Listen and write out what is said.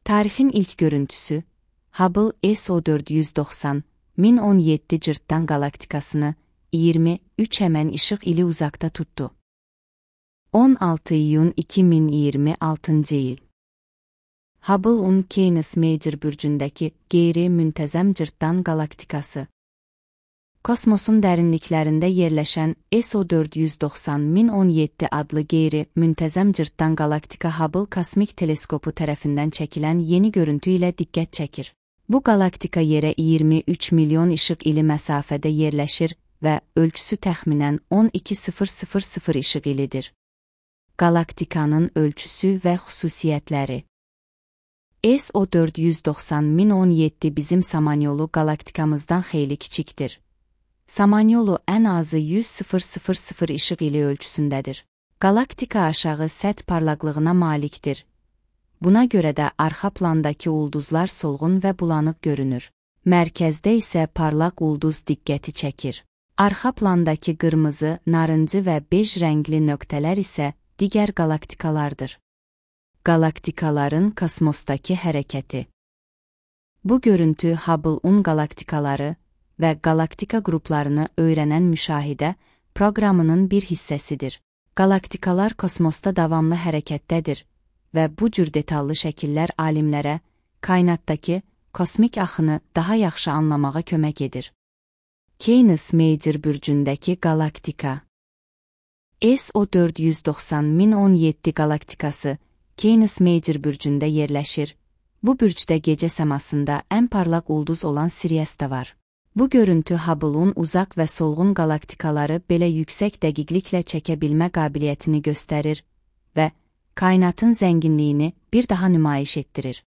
Tarixin ilk görüntüsü, Hubble SO490, 1017 cırtdan galaktikasını 23 həmən işıq ili uzaqda tutdu. 16 iyun 2026 il. Hubble-un Canis Major bürcündəki qeyri-müntəzəm cırtdan galaktikası. Kosmosun dərinliklərində yerləşən SO490 1017 adlı qeyri-müntəzəm cırtdan galaktika Hubble kosmik teleskopu tərəfindən çəkilən yeni görüntü ilə diqqət çəkir. Bu galaktika yerə 23 milyon işıq ili məsafədə yerləşir və ölçüsü təxminən 12000 işıq ilidir. Galaktikanın ölçüsü və xüsusiyyətləri. SO490 1017 bizim Samanyolu galaktikamızdan xeyli kiçikdir. Samanyolu ən azı 100,000 işıq ili ölçüsündədir. Galaktika aşağı səth parlaqlığına malikdir. Buna görə də arxa plandakı ulduzlar solğun və bulanıq görünür. Mərkəzdə isə parlaq ulduz diqqəti çəkir. Arxa plandakı qırmızı, narıncı və bej rəngli nöqtələr isə digər galaktikalardır. Galaktikaların kosmosdakı hərəkəti. Bu görüntü Hubble-un galaktikaları və galaktika qruplarını öyrənən müşahidə proqramının bir hissəsidir. Galaktikalar kosmosda davamlı hərəkətdədir və bu cür detallı şəkillər alimlərə kainatdakı kosmik axını daha yaxşı anlamağa kömək edir. Canis Major bürcündəki galaktika. SO490 1017 galaktikası Canis Major bürcündə yerləşir. Bu bürcdə gecə səmasında ən parlaq ulduz olan Sirius da var. Bu görüntü Hubble-un uzaq və solğun galaktikaları belə yüksək dəqiqliklə çəkə bilmə qabiliyyətini göstərir və kainatın zənginliyini bir daha nümayiş etdirir.